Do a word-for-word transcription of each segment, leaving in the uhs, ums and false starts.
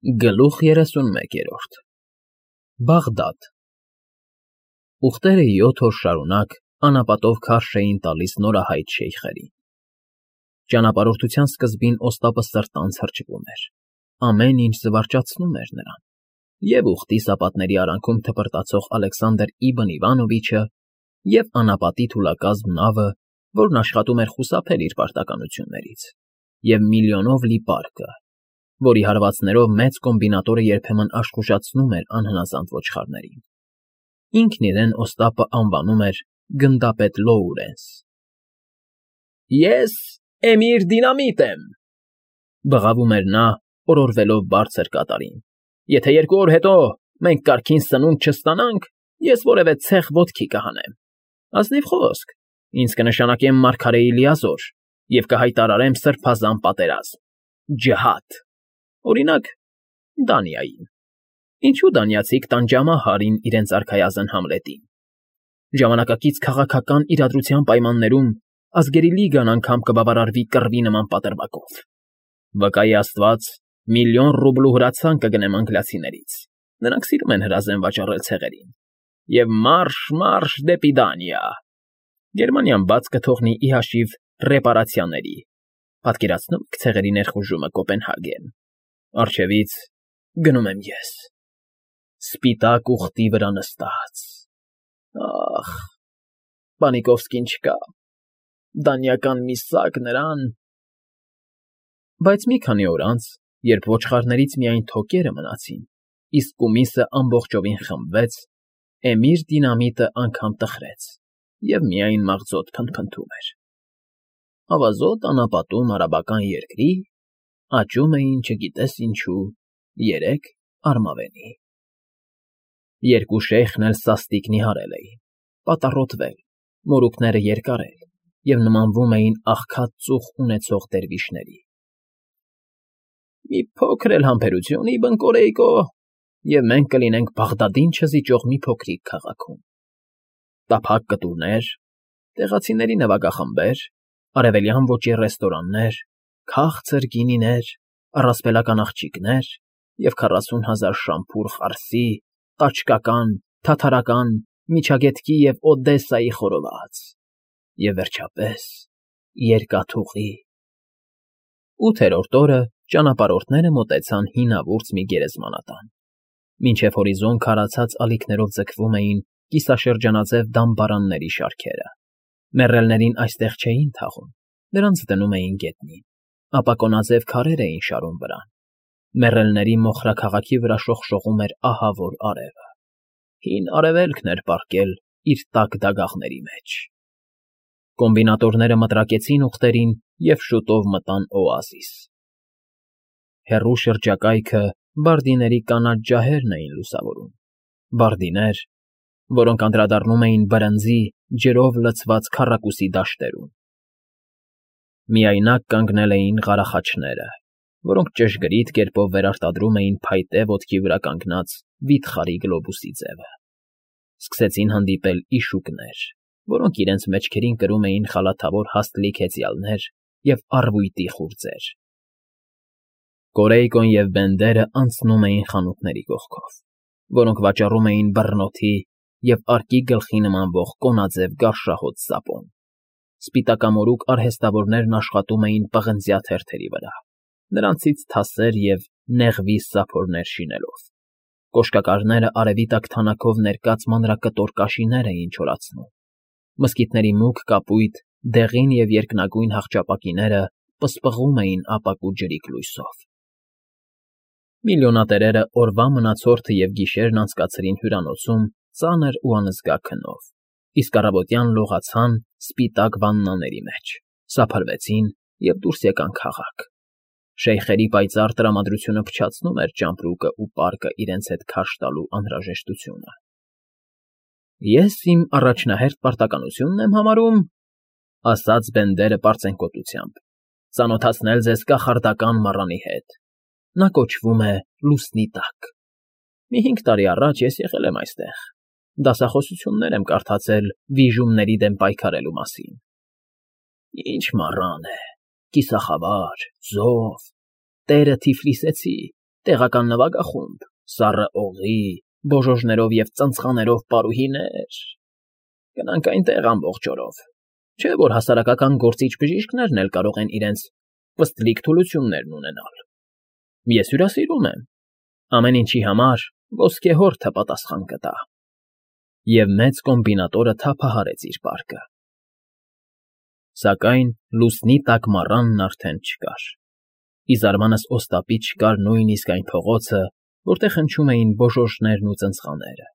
Գլուխ երեսունմեկ։ Բաղդադ Ուղտերը յոթ օր շարունակ անապատով քարշ էին տալիս նորահայտ շեյխերին։ Ճանապարհորդության սկզբին Օստապը սրտանց հրճվում էր, ամեն ինչ զվարճացնում էր նրան, և ուղտի սապատների արանքում թպրտացող Ալեքսանդր Իբն Իվանովիչը, և անապատի թուլակազմ նավը, որն աշխատում էր խուսափել իր պարտականություններից, և միլիոնով լի պարկը, որի հարվածներով մեծ կոմբինատորը երբեմն աշխուժացնում էր անհնազանդ ոչխարներին։ Ինքն իրեն Օստապը անվանում էր գնդապետ Լոուրենս։ Ես Էմիր Դինամիտ եմ, բղավում էր նա, օրորվելով բարձր կատարին։ Եթե երկու օր հետո մենք կարգին սնունդ չստանանք, ես որևէ ցեխ ոտքի կհանեմ։ Ազնիվ խոսք, ինձ կնշանակեմ մարգարեի լիազոր և կհայտարարեմ սրբազան պատերազմ, ջիհադ, օրինակ, Դանիային։ Ինչու դանիացիք տան ջամահարին իրենց արքայազն Համլետին։ Ժամանակակից քաղաքական իրադրության պայմաններում ազգերի լիգան անգամ կբավարարվի կռվի նման պատրվակով։ Վկայի աստված, միլիոն ռուբլու հրացան կգնեմ անգլիացիներից, նրանք սիրում են հրազեն վաճառել ցեղերին, և մարշ, մարշ դեպի Դանիա։ Գերմանիան բաց կթողնի ի հաշիվ ռեպարացիաների, պատկերացնո՞ւմ եք ցեղերի ներխուժումը Կոպենհագեն, առջևից գնում եմ ես, սպիտակ ուղտի վրա նստած, ախ, Պանիկովսկին չկա, դանիական մի սակ նրան… Բայց մի քանի օր անց, երբ ոչխարներից միայն թոկերը մնացին, իսկ կումիսը ամբողջովին խմբվեց, Էմիր Դինամիտը անգամ տխրեց և միայն մաղձոտ փնթփնթում էր։ Ավազոտ անապատում արաբական երկրի աճում էին չգիտես ինչու երեք արմավենի։ Երկու շեյխն էլ սաստիկ նիհարել էին, պատառոտվել, մորուքները երկարել և նմանվում էին աղքատ ծուխ ունեցող դերվիշների։ Մի փոքր էլ համբերություն, Իբն Կորեյկո, և մենք կլինենք Բաղդադին չզիջող մի փոքրիկ քաղաքում։ Տափակ կտուրներ, տեղացիների նվագախմբեր, արևելյան ոճի ռեստորաններ, քաղցր գինիներ, առասպելական աղջիկներ և քառասուն հազար շամփուր խարսի, տաճկական, թաթարական, միջագետքի և Օդեսայի խորոված, և, վերջապես, երկաթուղի։ Ութերորդ օրը ճանապարհորդները մոտեցան հինավուրց մի գերեզմանատան, մինչև հորիզոն քարացած ալիքներով ձգվում էին կիսաշրջանաձև դամբարանների շարքերը։ Մեռելներին այստեղ չէին թաղում, նրանց դնում էին գետնին, ապա կոնաձև քարեր էին շարում վրան։ Մեռելների մոխրաքաղաքի վրա շողշողում էր ահավոր արևը։ Հին արևելքն էր պառկել իր տաք դագաղների մեջ։ Կոմբինատորները մտրակեցին ուղտերին և շուտով մտան օազիս։ Հեռու շրջակայքը բարդիների կանաչ ջահերն էին լուսավորում, բարդիներ, որոնք անդրադառնում էին բրնձի, ջրով լցված քառակուսի դաշտերում։ Միայնակ կանգնել էին ղարախաչները, որոնք ճշգրիտ կերպով վերարտադրում էին փայտե ոտքի վրա կանգնած վիթխարի գլոբուսի ձևը։ Սկսեցին հանդիպել իշուկներ, որոնք իրենց մեջքերին կրում էին խալաթավոր հաստ լիք֊հեծյալներ և առվույտի խուրձեր։ Կորեյկոն և Բենդերը անցնում էին խանութների կողքով, որոնք վաճառում էին բռնոթի և արկի գլխի նմանվող կոնաձև գարշահոտ սապոն։ Սպիտակամորուք արհեստավորներն աշխատում էին պղնձյա թերթերի վրա, նրանցից թասեր և նեղվի սափորներ շինելով։ Կոշկակարները արևի տակ թանաքով ներկած մանրակտոր կաշիներ էին չորացնում։ Մզկիթների մուգ կապույտ, դեղին և երկնագույն հաղճապակիները պսպղում էին ապակու ջրիկ լույսով։ Միլիոնատերերը օրվա մնացորդը և գիշերն անցկացրին հյուրանոցում ծանր ու անզգա քնով, իսկ առավոտյան լողացան սպիտակ վաննաների մեջ, սափրվեցին և դուրս եկան քաղաք։ Շեյխերի պայծառ տրամադրությունը փչացնում էր ճամպրուկը ու պարկը իրենց հետ քարշ տալու անհրաժեշտությունը։ Ես իմ առաջնահերթ պարտականությունն եմ համարում, ասաց Բենդերը պարծենկոտությամբ, ծանոթացնել ձեզ կախարդական մառանի հետ։ Նա կոչվում է Լուսնի Տակ։ Մի հինգ տարի առաջ ես եղել եմ այստեղ, դասախոսություններ եմ կարդացել վիժումների դեմ պայքարելու մասին։ Ինչ մառան է, կիսախավար, զով, տերը Թիֆլիսեցի, տեղական նվագախումբ, սառը օղի, բոժոժներով և ծնծղաներով պարուհիներ… Գնանք այնտեղ ամբողջ օրով, չէ՞ որ հասարակական գործիչ բժիշկներն էլ կարող են իրենց պստլիկ թուլություններն ունենալ… Ես հյուրասիրում եմ, ամեն ինչի համար ոսկեհորդը պատասխան կտա… Եվ մեծ կոմբինատորը թափահարեց իր պարկը… Սակայն լուսնի տակ մառանն արդեն չկար, ի զարմանս Օստապից չկար նույնիսկ այն փողոցը, որտեղ հնչում էին բոժոժներն ու ծնծղաները…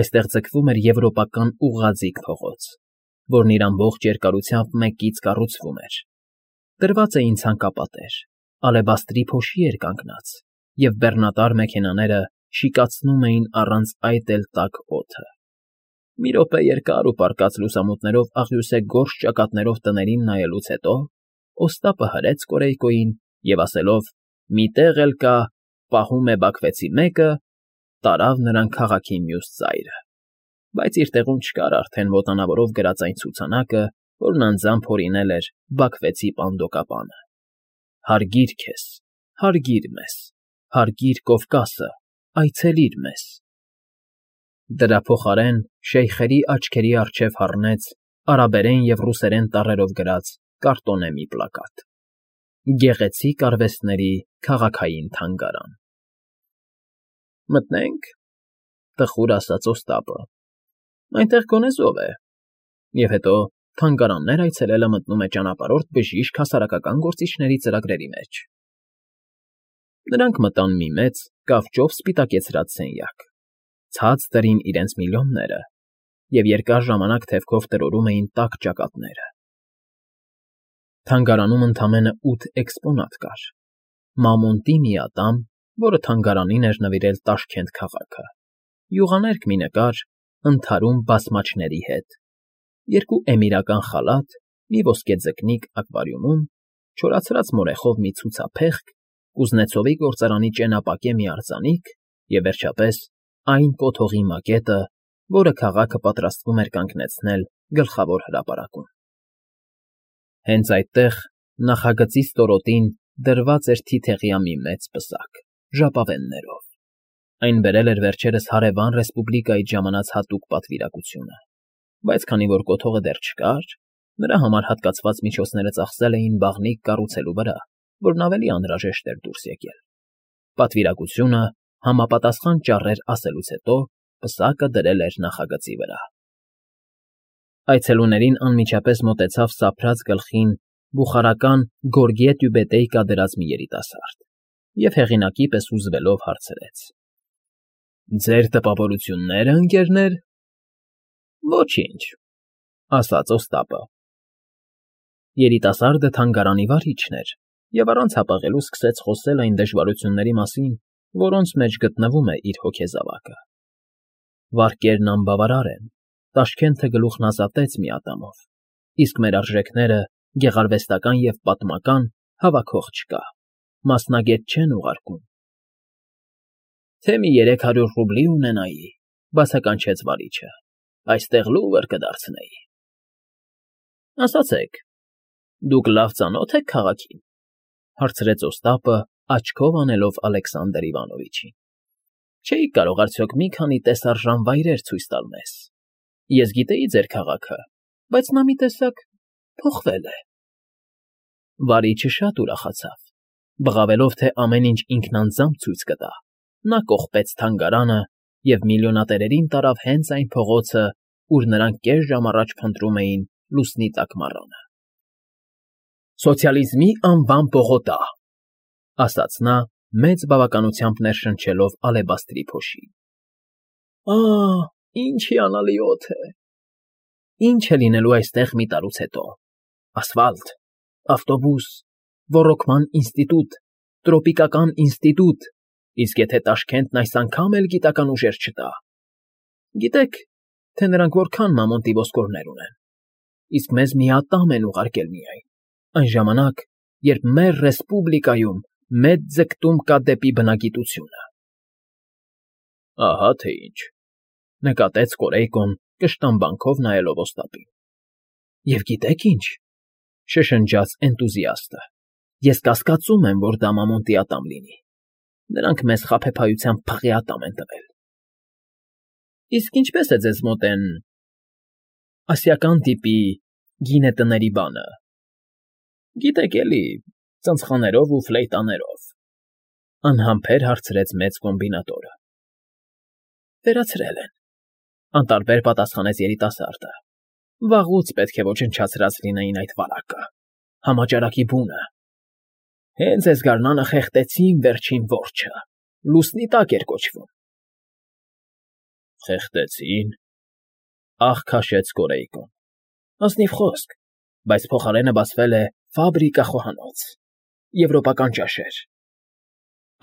Այստեղ ձգվում էր եվրոպական ուղղաձիգ փողոց, որն իր ամբողջ երկարությամբ մեկ կից կառուցվում էր… Դրված էին ցանկապատեր, ալեբաստրի փոշի էր կանգնած, և բեռնատար մեքենաները շիկացնում էին առանց այդ էլ տաք օդը… Մի րոպե երկար ու պառկած լուսամուտներով աղյուսե գորշ ճակատներով տներին նայելուց հետո Օստապը հրեց Կորյուն և, ասելով. «Մի տեղ էլ կա, պահում է Բաքվեցի մեկը», տարավ նրան քաղաքի մյուս ծայրը… Բայց իր տեղում չկար արդեն ոտանավորով գրած այն ցուցանակը, որն անձամբ հորինել էր Բաքվեցի պանդոկապանը. «Հարգիր քեզ, հարգիր մեզ, հարգիր Կովկասը, այցելիր մեզ»… Դրա փոխարեն շեյխերի աչքերի առջև հառնեց արաբերեն և ռուսերեն տառերով գրած կարտոնե մի պլակատ. «Գեղեցիկ արվեստների քաղաքային թանգարան»… «Մտնե՞նք,֊ տխուր ասաց Օստապը,֊ այնտեղ գոնե զով է, և հետո թանգարաններ այցելելը մտնում է ճանապարհորդ բժիշկ հասարակական գործիչների ծրագրերի մեջ»… Նրանք մտան մի մեծ, կավճով սպիտակեցրած սենյակ, ցած դրին իրենց միլիոնները և երկար ժամանակ թևքով տրորում էին տաք ճակատները… Թանգարանում ընդամենը ութ էքսպոնատ կար. Մամոնտի մի ատամ, որը թանգարանին էր նվիրել Տաշքենտ քաղաքը, յուղաներկ մի նկար ընդհարում բասմաչների հետ, երկու էմիրական խալաթ, մի ոսկե ձկնիկ ակվարիումում, չորացած մորեխով մի ցուցափեղկ, Կուզնեցովի գործարանի ճենապակե մի արձանիկ և, վերջապես, այն կոթողի մակետը, որը քաղաքը պատրաստվում էր կանգնեցնել Գլխավոր հրապարակում… Հենց այդտեղ, նախագծի ստորոտին, դրված էր թիթեղյա մի մեծ պսակ, ժապավեններով… Այն բերել էր վերջերս հարևան ռեսպուբլիկայից ժամանած հատուկ պատվիրակությունը, բայց քանի որ կոթողը դեռ չկար, նրա համար հատկացված միջոցները ծախսել էին բաղնիք կառուցելու վրա, որն ավելի անհրաժեշտ էր դուրս եկել… Պատվիրակությունը համապատասխան ճառեր ասելուց հետո պսակը դրել էր նախագծի վրա… Այցելուներին անմիջապես մոտեցավ սափրած գլխին բուխարական գորգե տյուբետեյկա դրած մի երիտասարդ և հեղինակի պես հուզվելով հարցրեց. ֊ Ձեր տպավորություննե՞րը, ընկերներ… ֊ Ոչինչ,֊ ասաց Օստապը… Երիտասարդը թանգարանի վարիչն էր և առանց հապաղելու սկսեց խոսել այն դժվարությունների մասին, որոնց մեջ գտնվում է իր հոգեզավակը… Վարկերն անբավարար են, Տաշքենթը գլուխն ազատեց մի ատամով, իսկ մեր արժեքները, գեղարվեստական և պատմական, հավաքող չկա, մասնագետ չեն ուղարկում… ֊ Թե մի երեք հարյուր ռուբլի ունենայի,֊ բացականչեց վարիչը,֊ այստեղ լուվր կդարձնեի… ֊ Ասացեք, դուք լավ ծանո՞թ եք քաղաքին,֊ հարցրեց Օստապը, աչքով անելով Ալեքսանդր Իվանովիչին։֊ Չէիք կարող արդյոք մի քանի տեսարժան վայրեր ցույց տալ մեզ… Ես գիտեի ձեր քաղաքը, բայց նա մի տեսակ փոխվել է… Վարիչը շատ ուրախացավ, բղավելով, թե ամեն ինչ ինքն անձամբ ցույց կտա, նա կողպեց թանգարանը և միլիոնատերերին տարավ հենց այն փողոցը, ուր նրանք կես ժամ առաջ փնտրում էին լուսնի տակ մառանը… «Սոցիալիզմի անվան պողոտա,֊ ասաց նա, մեծ բավականությամբ ներշնչելով ալեբաստրի փոշի։֊ Ա՜, ինչ հիանալի օդ է… Ինչ է լինելու այստեղ մի տարուց հետո… Ասֆալտ, ավտոբուս, ոռոգման ինստիտուտ, տրոպիկական ինստիտուտ, իսկ եթե Տաշքենտն այս անգամ էլ գիտական ուժեր չտա… Գիտեք, թե նրանք որքան Մամոնտի ոսկորներ ունեն… Իսկ մեզ մի ատամ են ուղարկել միայն, այն ժամանակ, երբ մեր ռեսպուբլիկայում մեծ ձգտում կա դեպի բնագիտությունը… ֊ Ահա թե ինչ,֊ նկատեց Կորեյկոն կշտամբանքով նայելով Օստապին։ ֊ Եվ գիտեք ինչ,֊ շշնջաց էնտուզիաստը,֊ ես կասկածում եմ, որ դա Մամոնտի ատամ լինի… նրանք մեզ խաբեբայությամբ փղի ատամ են տվել։ Իսկ ինչպես է ձեզ մոտ են ասիական տիպի գինետների բանը։ Գիտեք էլի, ծնցղաներով ու ֆլեյտաներով, անհամբեր հարցրեց մեծ կոմբինատորը։ Վերացրել են, անտարբեր պատասխանեց երիտասարդը։ Վաղուց պետք է ոչնչացրած լինեին այդ վարակը, համաճարակի բունը։ Հենց այս գարնանը խեղդեցին վերջին որջը, լուսնի տակ էր կոչվում։ Խեղդեցին, աղ քաշեց Կորեյկոն։ Ազնիվ խոսք, բայց փոխարենը բացվել է ֆաբրիկա խոհանոց, եվրոպական ճաշեր։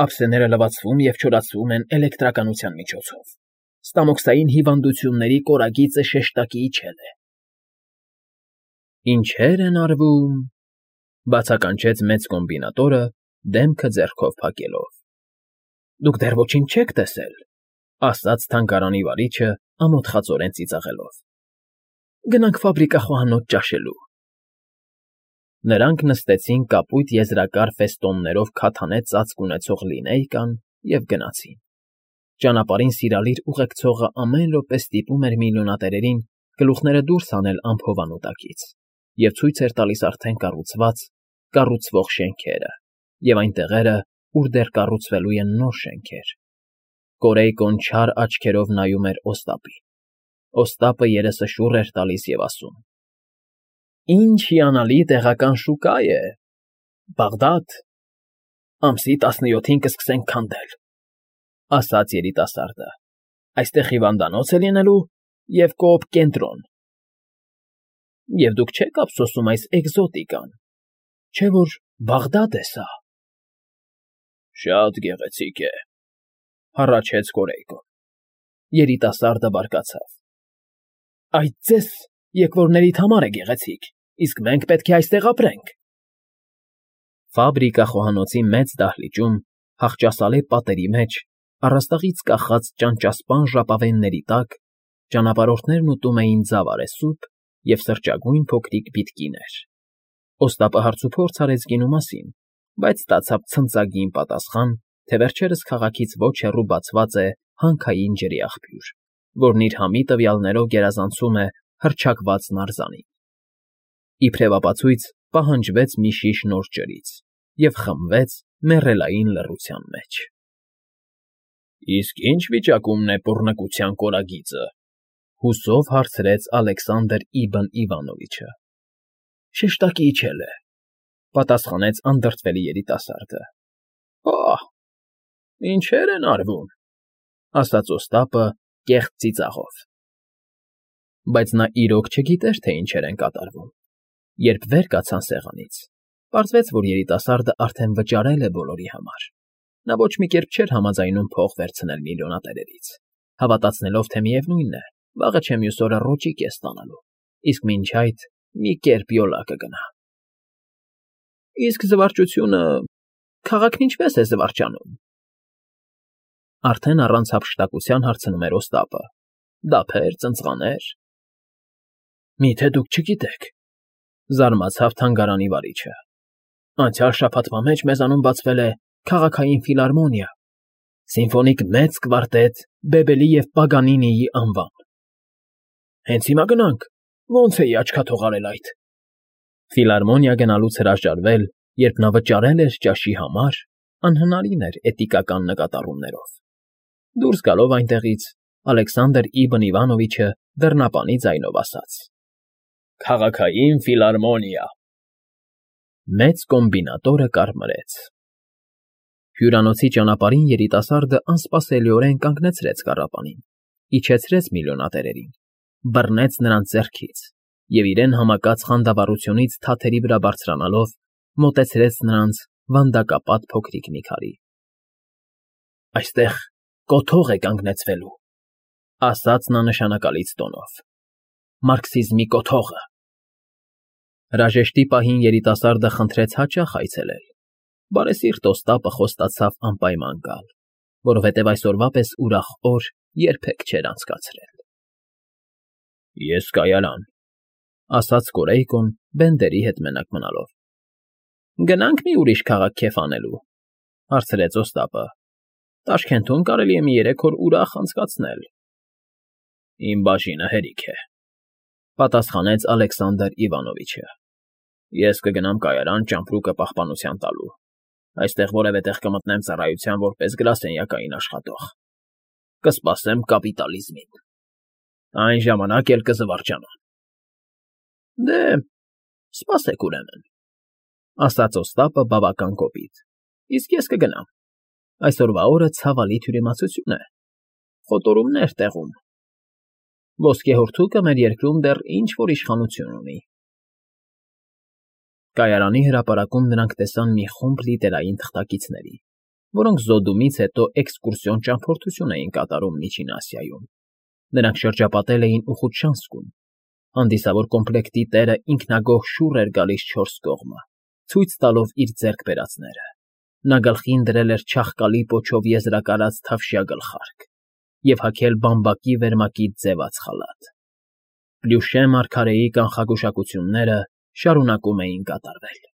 Ափսեները լվացվում և չորացվում են էլեկտրականության միջոցով։ Ստամոքսային հիվանդությունների կորագիծը շեշտակի իջել է։ Ինչեր են արվում, բացականչեց մեծ կոմբինատորը, դեմքը ձեռքով փակելով։ Դուք դեռ ոչինչ չեք տեսել, ասաց թանգարանի վարիչը ամոթխածորեն ծիծաղելով։ Գնանք ֆաբրիկա խոհանոց ճաշելու։ Նրանք նստեցին կապույտ եզրակար ֆեստոններով քաթանե ծածկ ունեցող լինեյկան և գնացին։ Ճանապարհին սիրալիր ուղեկցողը ամեն րոպե ստիպում էր միլիոնատերերին գլուխները դուրս հանել ամփոփանու տակից և ցույց էր տալիս արդեն կառուցված, կառուցվող շենքերը և այն տեղերը, ուր դեռ կառուցվելու են նոր շենքեր։ Կորեյկոն չար աչքերով նայում էր Օստապին։ Օստապը երեսը շուռ էր տալիս և ասում. Ինչ հիանալի տեղական շուկա է, Բաղդադ, ամսի տասնյոթին կսկսենք քանդել, ասաց երիտասարդը, այստեղ հիվանդանոց է լինելու և կոոպ կենտրոն։ Եվ դուք չեք ափսոսում այս էկզոտիկան, չէ՞ որ Բաղդադ է սա։ Շատ գեղեցիկ է, հառաչեց Կորեյկոն։ Երիտասարդը բարկացավ. Այդ ձեզ եկվորներիդ համար է գեղեցիկ, իսկ մենք պետք է այստեղ ապրենք։ Ֆաբրիկա խոհանոցի մեծ դահլիճում, հախճասալի պատերի մեջ, առաստաղից կախած ճանճասպան ժապավենների տակ, ճանապարհորդներն ուտում էին ձավարեսուփ և սրճագույն փոքրիկ բիթկիներ։ Օստապը հարցուփորձ արեց գինու մասին, բայց ստացավ ցնծագին պատասխան, թե վերջերս քաղաքից ոչ հեռու բացված է հանքային ջրի աղբյուր, որն իր համի տվյալներով գերազանցում է հռչակված նարզանին։ Իբրև ապացույց պահանջվեց մի շիշ նոր ջրից և խմվեց մեռելային լռության մեջ։ Իսկ ի՞նչ վիճակումն է պոռնկության կորագիծը, հուսով հարցրեց Ալեքսանդր Իբն Իվանովիչը։ Շեշտակի իջել է, պատասխանեց անդրդվելի երիտասարդը։ Ահ, ինչեր են արվում, ասաց Օստապը կեղծ ծիծաղով։ Բայց նա իրոք չգիտեր, թե ինչեր են կատարվում։ Երբ վեր կացան սեղանից, պարզվեց, որ երիտասարդը արդեն վճարել է բոլորի համար։ Նա ոչ մի կերպ չէր համաձայնում փող վերցնել միլիոնատերերից, հավատացնելով, թե միևնույն է, վաղը չէ մյուս օրը ռոճիկ է ստանալու, իսկ մինչ այդ մի կերպ յոլա կգնա։ Իսկ զվարճությունը… քաղաքն ինչպե՞ս է զվարճանում։ Արդեն առանց հափշտակության հարցնում էր Օստապը։ Դափեր, ծնծղաներ… Միթե դուք չգիտեք, զարմացավ թանգարանի վարիչը։ Անցյալ շաբաթվա մեջ մեզանում բացվել է քաղաքային ֆիլհարմոնիա, սիմֆոնիկ մեծ կվարտետ Բեբելի և Պագանինիի անվան։ Հենց հիմա գնանք, ոնց էի աչքաթող արել այդ։ Ֆիլհարմոնիա գնալուց հրաժարվել, երբ նա վճարել էր ճաշի համար, անհնարին էր էտիկական նկատառումներով։ Դուրս գալով այնտեղից, Ալեքսանդր Իբն Իվանովիչը դռնապանի ձայնով ասաց. Քաղաքային ֆիլհարմոնիա։ Մեծ կոմբինատորը կարմրեց։ Հյուրանոցի ճանապարհին երիտասարդը անսպասելիորեն կանգնեցրեց կառապանին, իջեցրեց միլիոնատերերին, բռնեց նրանց ձեռքից և իրեն համակած խանդավառությունից թաթերի վրա բարձրանալով մոտեցրեց նրանց վանդակապատ փոքրիկ մի քարի։ Այստեղ կոթող է կանգնեցվելու, ասաց նա նշանակալից տոնով։ Մարքսիզմի կոթողը։ Հրաժեշտի պահին երիտասարդը խնդրեց հաճախ այցելել։ Բարեսիրտ Օստապը խոստացավ անպայման գալ, որովհետև այսօրվա պես ուրախ օր երբեք չէր անցկացրել։ Ես կայարան, ասաց Կորեյկոն Բենդերի հետ մենակ մնալով։ Գնանք մի ուրիշ քաղաք քեֆ անելու, հարցրեց Օստապը, Տաշքենթում կարելի է մի երեք օր ուրախ անցկացնել։ ֊ Իմ բաժինը հերիք է,֊ պատասխանեց Ալեքսանդր Իվանովիչը։ Ես կգնամ կայարան ճամպրուկը պահպանության տալու, այստեղ որևէ տեղ կմտնեմ ծառայության որպես գրասենյակային աշխատող, կսպասեմ կապիտալիզմին, այն ժամանակ էլ կզվարճանամ։ ֊ Դե, սպասեք ուրեմն,֊ ասաց Օստապը բավական կոպիտ,֊ իսկ ես կգնամ, այսօրվա օրը ցավալի թյուրիմացություն է, խոտորումներ տեղում, ոսկեհորդուկը մեր երկրում դեռ ինչ֊որ իշխանություն ունի։ Կայարանի հրապարակում նրանք տեսան մի խումբ լիտերային թղթակիցների, որոնք զոդումից հետո էքսկուրսիոն ճամփորդություն էին կատարում Միջին Ասիայում։ Նրանք շրջապատել էին Ուխուտշանսկում, հանդիսավոր կոմպլեկտի տերը ինքնագոհ շուռ էր գալիս չորս կողմը, ցույց տալով իր ձեռք բերածները։ Նա գլխին դրել էր չաղկալի պոչով եզրակարած թավշյա գլխարկ և հագել բամբակի վերմակից ձևած խալաթ։ Պլյուշե մարգարեի կանխագուշակությունները շարունակում էին կատարվել։